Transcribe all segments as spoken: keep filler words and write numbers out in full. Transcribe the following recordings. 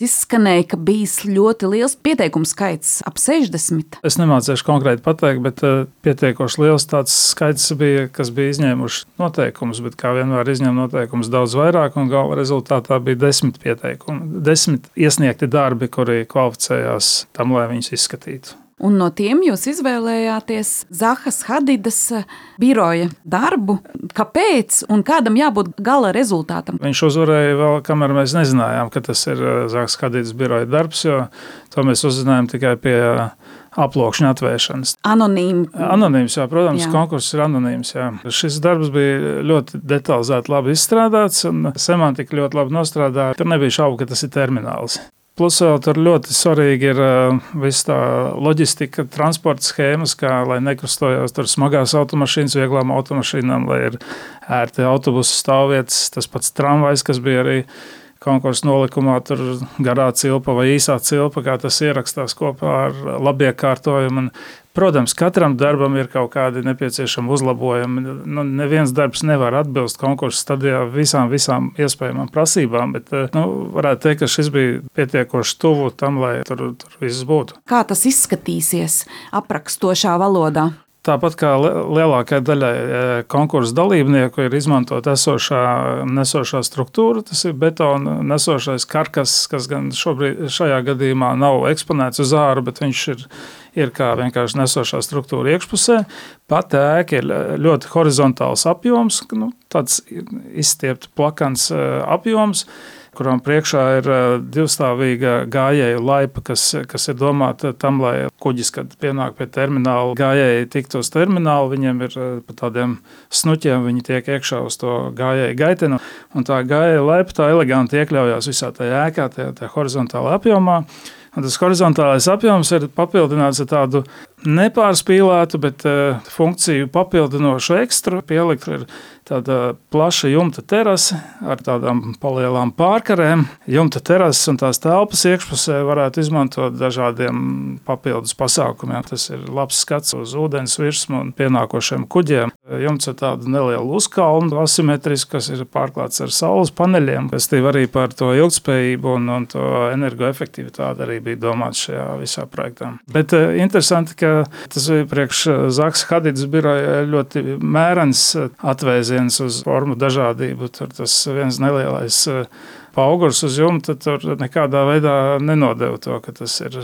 Izskanēja, ka bijis ļoti liels pieteikumu skaits, ap sešdesmit. Es nemācīšu konkrēti pateikt, bet pietiekoši liels tāds skaits bija, kas bija izņēmuši noteikumus, bet kā vienmēr izņem noteikumus daudz vairāk, un gala rezultātā bija desmit pieteikumi. Desmit iesniegti darbi, kuri kvalificējās tam, lai viņus izskatītu. Un no tiem jūs izvēlējāties Zahas Hadidas biroja darbu. Kāpēc un kādam jābūt gala rezultātam? Viņš uzvarēja vēl, kamēr mēs nezinājām, ka tas ir Zahas Hadidas biroja darbs, jo to mēs uzzinājām tikai pie aplokšņa atvēršanas. Anonīmi. Anonīms, jā, protams, jā. Konkurss ir anonīms, jā. Šis darbs bija ļoti detalizēti labi izstrādāts un semantika ļoti labi nostrādāja. Tur nebija šaubu, ka tas ir termināls. Plus vēl tur ļoti svarīgi ir uh, viss tā loģistika, transporta schēmas, kā lai nekustojās tur smagās automašīnas, vieglām automašīnām, lai ir ērti autobusu stāvvietas, tas pats tramvajs, kas bija arī konkursu nolikumā, tur garā cilpa vai īsā cilpa, kā tas ierakstās kopā ar labiekārtojumu. Un, protams, katram darbam ir kaut kādi nepieciešami uzlabojumi. Nu, neviens darbs nevar atbilst konkursu stadijā visām, visām iespējamām prasībām, bet nu, varētu teikt, ka šis bija pietiekoši tuvu tam, lai tur, tur viss būtu. Kā tas izskatīsies aprakstošā valodā? Tāpat kā lielākajai daļai konkursu dalībnieku ir izmantot esošā nesošā struktūra, tas ir betona nesošais karkas, kas gan šobrīd šajā gadījumā nav eksponēts uz āru, bet viņš ir, ir kā vienkārši nesošā struktūra iekšpusē. Pat ēka ir ļoti horizontāls apjoms, nu, tāds izstiepta plakans apjoms, kuram priekšā ir divstāvīga gājēju laipa, kas, kas ir domāta tam, lai kuģis, kad pienāk pie termināla, gājēji tiktu uz terminālu, viņiem ir pa tādiem snuķiem, viņi tiek iekšā uz to gājēju gaitenu, un tā gājēju laipa tā eleganti iekļaujās visā tajā ēkā, tajā, tajā horizontālā apjomā. Un tas horizontālais apjoms ir papildināts ar tādu nepārspīlētu, bet uh, funkciju papildinošu ekstru. Pielikt ir tāda plaša jumta terase ar tādām palielām pārkarēm. Jumta terases un tās telpas iekšpusē varētu izmantot dažādiem papildus pasākumiem. Tas ir labs skats uz ūdens virsmu un pienākošiem kuģiem. Jumts ir tādu nelielu uzkalnu asimetrisku, kas ir pārklāts ar saules paneļiem, kas tīv arī par to ilgspējību un, un to energoefektivitāti arī bija domāts šajā visā projektā. Bet uh, interesanti, ka tas bija priekš Zahas Hadidas biroja ļoti mērens atvēziens uz formu dažādību. Tur tas viens nelielais paugurs uz jumta tur nekādā veidā nenodeva to, ka tas ir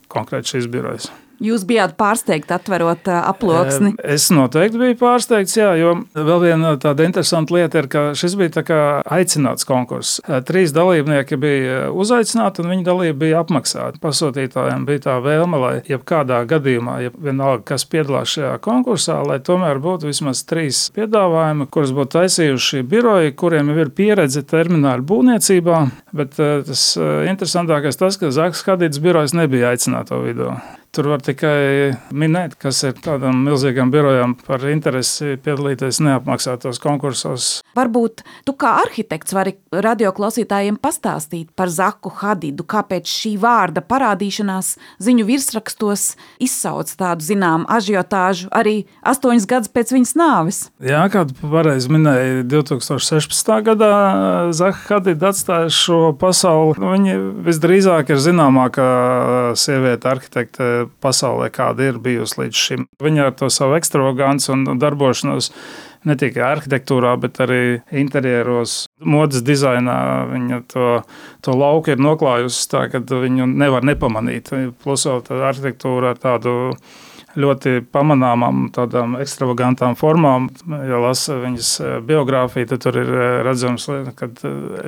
konkrēti šīs birojas. Jūs bijāt pārsteigti atverot aploksni? Es noteikti biju pārsteigts, jā, jo vēl viena tāda interesanta lieta ir, ka šis bija tā kā aicināts konkurss. Trīs dalībnieki bija uzaicināti un viņa dalība bija apmaksāta. Pasūtītājiem bija tā vēlme, lai jebkādā gadījumā, ja vienalga, kas piedalās šajā konkursā, lai tomēr būtu vismaz trīs piedāvājumi, kurus būtu taisījuši biroji, kuriem jau ir pieredze termināļu būvniecībā, bet tas interesantākais tas, ka Zahas Hadidas birojas nebija aicināto vidū. Tur var tikai minēt, kas ir tādam milzīgam birojam par interesi piedalīties neapmaksātos konkursos. Varbūt tu kā arhitekts vari radioklausītājiem pastāstīt par Zahu Hadidu, kāpēc šī vārda parādīšanās ziņu virsrakstos izsauc tādu zinām ažiotāžu arī astoņas gadus pēc viņas nāves. Jā, kā tu pareizi minēji, divtūkstoš sešpadsmitā gadā Zaha Hadida atstāja šo pasauli. Viņa visdrīzāk ir zināmākā sieviete arhitekte pasaulē, kāda ir bijusi līdz šim. Viņa ar to savu ekstravaganci un darbošanos ne tikai arhitektūrā, bet arī interjeros, modes dizainā. Viņa to, to lauku ir noklājusi tā, ka viņu nevar nepamanīt. Plus vēl tā arhitektūra ar tādu ļoti pamanāmām tādām ekstravagantām formām. Ja lasa viņas biogrāfiju, tad tur ir redzams, ka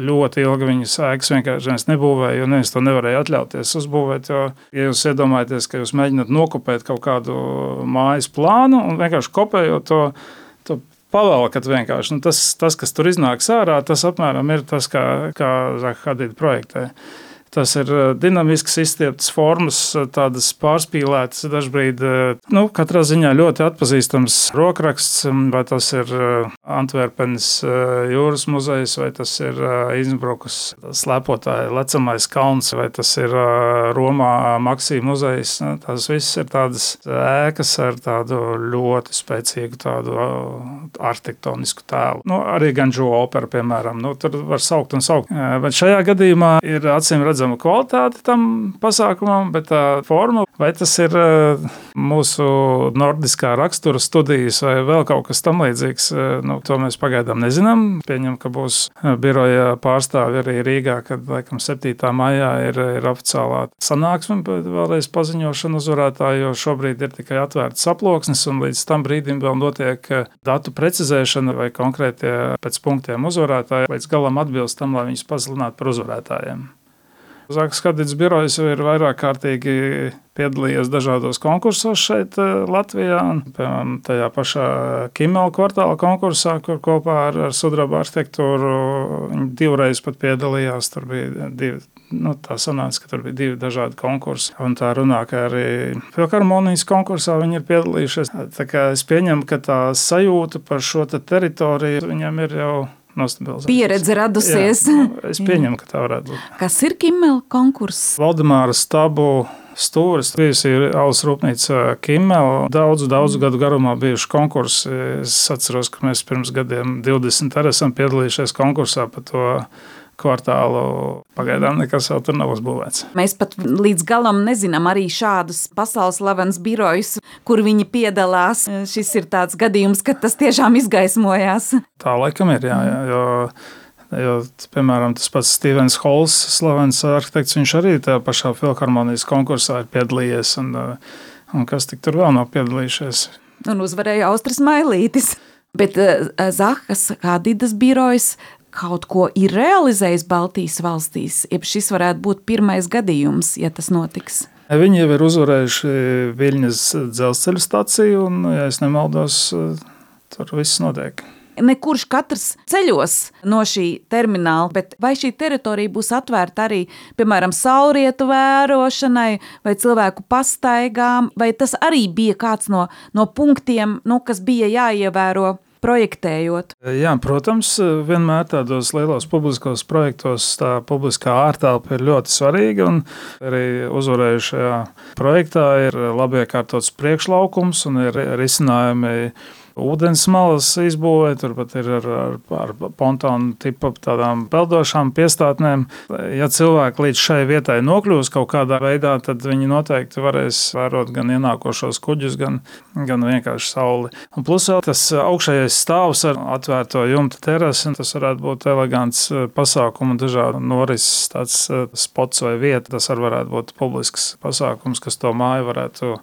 ļoti ilgi viņas ēkas vienkārši nebūvēja, jo neviens to nevarēja atļauties uzbūvēt. Jo, ja jūs iedomājaties, ka jūs mēģināt nokopēt kaut kādu mājas plānu un vienkārši kopējot to, to pavalkat vienkārši. Nu, tas, tas, kas tur iznāks ārā, tas apmēram ir tas, kā, kā Zaha Hadida projektē. Tas ir dinamisks, izstieptas formas, tādas pārspīlētas, dažbrīd, nu, katrā ziņā ļoti atpazīstams rokraksts, vai tas ir Antverpenes jūras muzejs, vai tas ir Innsbrukas slēpotāja lecamais kalns, vai tas ir Romā Maksī muzejs. Tas viss ir tādas ēkas ar tādu ļoti spēcīgu tādu arhitektonisku tēlu. Nu, arī Ganžu opera, piemēram, nu, tur var saukt un saukt. Bet šajā gadījumā ir acīm redzams, redzama kvalitāte tam pasākumam, bet tā forma, vai tas ir mūsu nordiskā rakstura studijas vai vēl kaut kas tam līdzīgs, nu, to mēs pagaidām nezinām. Pieņem, ka būs biroja pārstāvi arī Rīgā, kad laikam septītā maijā ir, ir oficiālā sanāksme, bet vēlreiz paziņošana uzvarētāju, jo šobrīd ir tikai atvērts aploksnis un līdz tam brīdim vēl notiek datu precizēšana vai konkrētie pēc punktiem uzvarētāji līdz galam atbilst tam, lai viņus pasludinātu par uzvarētājiem. Zakas Hadīdas birojs ir vairāk kārtīgi piedalījies dažādos konkursos šeit Latvijā. Piemēram, tajā pašā Kimela kvartāla konkursā, kur kopā ar, ar sudraba arhitektūru viņi divreiz pat piedalījās. Tur bija divi, nu tā sanāca, ka tur bija divi dažādi konkursi. Un tā runā, ka arī Filharmonijas konkursā viņi ir piedalījušies. Tā kā es pieņemu, ka tā sajūta par šo te teritoriju viņam ir jau pieredze radusies. Jā, es pieņemu, ka tā varētu būt. Kas ir Kimela konkurss? Valdemāra Stabu stūris, bijusi alus rūpnīca Kimela. Daudzu, daudzu gadu garumā bijuši konkursi. Es atceros, ka mēs pirms gadiem divdesmit arī esam piedalījušies konkursā par to kvartālu. Pagaidām nekas jau tur nav uzbūvēts. Mēs pat līdz galam nezinām arī šādus pasaules slavens birojus, kur viņi piedalās. Šis ir tāds gadījums, ka tas tiešām izgaismojās. Tā laikam ir, jā, jā, jo, jo piemēram, tas pats Stevens Halls, slavens arhitekts, viņš arī tajā pašā Filharmonijas konkursā ir piedalījies, un, un kas tik tur vēl nav piedalījušies. Un uzvarēja Austris Mailītis. Bet Zakas Hadīdas birojs kaut ko ir realizējis Baltijas valstīs, ja šis varētu būt pirmais gadījums, ja tas notiks? Viņi jau ir uzvarējuši Viļņas dzelzceļa staciju, un, ja es nemaldos, tur viss notiek. Nekurš katrs ceļos no šī termināla, bet vai šī teritorija būs atvērta arī, piemēram, saulrietu vērošanai vai cilvēku pastaigām, vai tas arī bija kāds no, no punktiem, nu, kas bija jāievēro projektējot? Jā, protams, vienmēr tādos lielos publiskos projektos tā publiskā ārtelpa ir ļoti svarīga, un arī uzvarējušajā projektā ir labi iekārtots priekšlaukums un ir risinājumi ūdens malas izbūvē, turpat ir ar, ar, ar pontonu tipu tādām peldošām piestātnēm. Ja cilvēki līdz šai vietai nokļūs kaut kādā veidā, tad viņi noteikti varēs vērot gan ienākošos kuģus, gan, gan vienkārši sauli. Un plus vēl tas augšējais stāvs ar atvērto jumta terasi, tas varētu būt elegants pasākumu dažādu norises tāds spots vai vieta. Tas arī varētu būt publisks pasākums, kas to māju varētu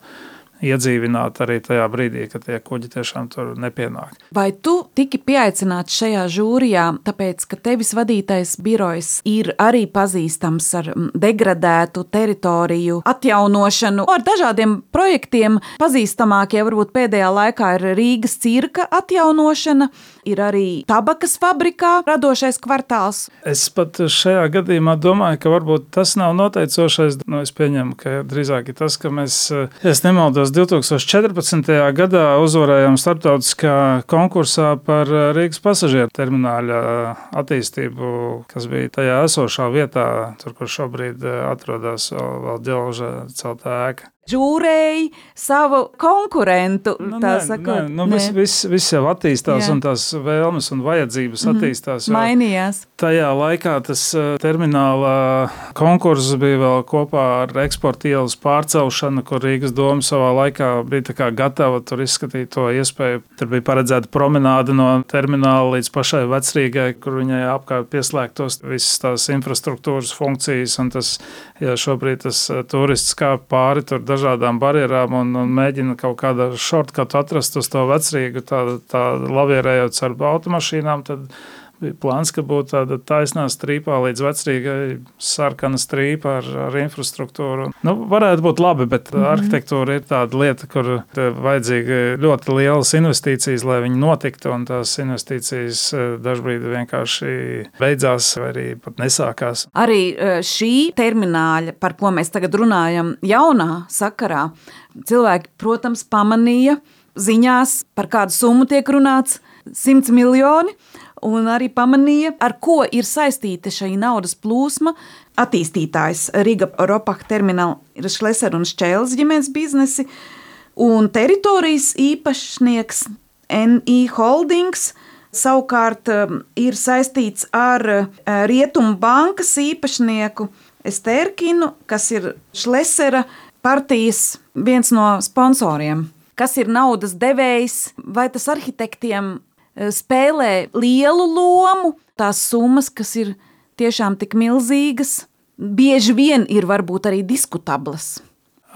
iedzīvināt arī tajā brīdī, kad tie kuģi tiešām tur nepienāk. Vai tu tiki pieaicināts šajā žūrijā, tāpēc, ka tevis vadītais birojs ir arī pazīstams ar degradētu teritoriju atjaunošanu, ar dažādiem projektiem? Pazīstamākie varbūt pēdējā laikā ir Rīgas cirka atjaunošana, ir arī tabakas fabrikā radošais kvartāls. Es pat šajā gadījumā domāju, ka varbūt tas nav noteicošais. Nu, es pieņemu, ka drīzāk ir tas, ka mēs, es nemaldos, divtūkstoš četrpadsmitajā gadā uzvarējām starptautiskā konkursā par Rīgas pasažieru termināļa attīstību, kas bija tajā esošā vietā, tur, kur šobrīd atrodas vēl, vēl ģelža celtā ēka. Žūrēji savu konkurentu, nu, tā nē, sakot. Nē, nu, viss vis, vis jau attīstās, jā. Un tās vēlmes un vajadzības mm-hmm. attīstās. Mainījās. Tajā laikā tas termināla konkurss bija vēl kopā ar eksporta ielas pārcelšanu, kur Rīgas doma savā laikā bija tā kā gatava tur izskatīt to iespēju. Tur bija paredzēta promenāde no termināla līdz pašai Vecrīgai, kur viņai apkārt pieslēgtos visas tās infrastruktūras funkcijas, un tas, ja šobrīd tas turists kāp pāri tur dažādām barjerām un, un mēģina kaut kādā shortcutu atrast uz to Vecrīgu, tā, tā lavierējot ar automašīnām, tad bija plāns, ka būtu tāda taisnā strīpā līdz Vecrīgai, sarkana strīpa ar, ar infrastruktūru. Nu, varētu būt labi, bet mm-hmm. arhitektūra ir tāda lieta, kur vajadzīga ļoti lielas investīcijas, lai viņi notiktu, un tās investīcijas dažbrīd vienkārši beidzās vai arī pat nesākās. Arī šī termināļa, par ko mēs tagad runājam, jaunā sakarā, cilvēki, protams, pamanīja ziņās, par kādu summu tiek runāts, simts miljoni, un arī pamanīja, ar ko ir saistīta šī naudas plūsma. Attīstītājs Riga Ropach termināla ir Šleser un Šķēles ģimenes biznesi, un teritorijas īpašnieks N I Holdings savukārt ir saistīts ar Rietumu bankas īpašnieku Estērkinu, kas ir Šlesera partijas viens no sponsoriem. Kas ir naudas devējs, vai tas arhitektiem spēlē lielu lomu, tās summas, kas ir tiešām tik milzīgas, bieži vien ir varbūt arī diskutablas.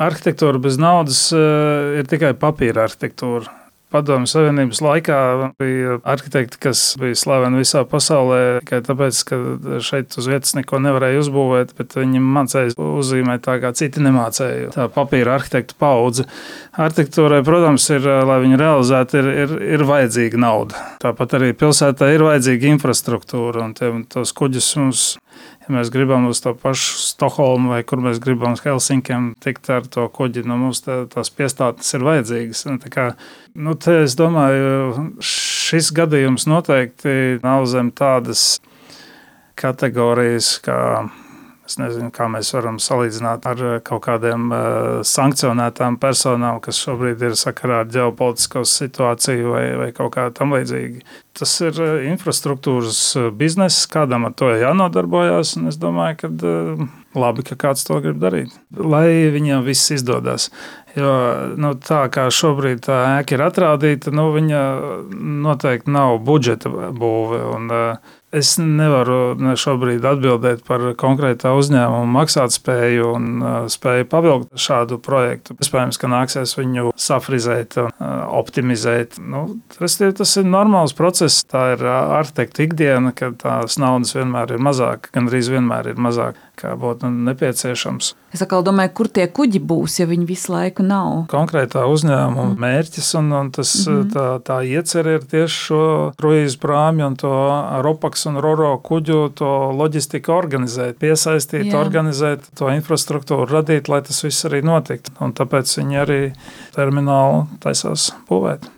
Arhitektūra bez naudas ir tikai papīra arhitektūra. Padomju Savienības laikā bija arhitekti, kas bija slaveni visā pasaulē, tikai tāpēc, ka šeit uz vietas neko nevarēja uzbūvēt, bet viņi mācēja uzzīmēt tā, kā citi nemācēja. Tā papīra arhitektu paudze. Arhitektūrai, protams, ir, lai viņi realizētu, ir, ir, ir vajadzīga nauda. Tāpat arī pilsētā ir vajadzīga infrastruktūra, un tie, tos kuģus mums, ja mēs gribam uz to pašu Stokholmu vai kur mēs gribam uz Helsinkiem tikt ar to kuģi, nu mums tā, tās piestātnes ir vajadzīgas. Tā kā, nu te es domāju, šis gadījums noteikti nav zem tādas kategorijas, kā, es nezinu, kā mēs varam salīdzināt ar kaut kādiem uh, sankcionētām personām, kas šobrīd ir sakarā ar ģeopolitisko situāciju vai, vai kaut kā tam līdzīgi. Tas ir infrastruktūras bizness, kādam ar to jānodarbojas, un es domāju, ka uh, labi, ka kāds to grib darīt, lai viņam viss izdodas. Jo nu, tā kā šobrīd tā ēka ir atrādīta, nu, viņa noteikti nav budžeta būve. Un, uh, es nevaru ne šobrīd atbildēt par konkrētā uzņēmuma maksātspēju un uh, spēju pavilkt šādu projektu. Iespējams, ka nāksies viņu safrizēt un uh, optimizēt. Nu, restīvi, tas ir normāls process. Tā ir uh, arhitekta ikdiena, kad tās naudas vienmēr ir mazāk, gandrīz vienmēr ir mazāk, kā būtu nepieciešams. Es atkal domāju, kur tie kuģi būs, ja viņi visu laiku nav. Konkrētā uzņēmuma mērķis un, un tas, mm-hmm. tā, tā iecerē ir tieši šo kruīzu prāmju un to Ropaks un Roro kuģu to loģistiku organizēt, piesaistīt, Jā. Organizēt to infrastruktūru, radīt, lai tas viss arī notiktu. Un tāpēc viņi arī terminālu taisās būvēt.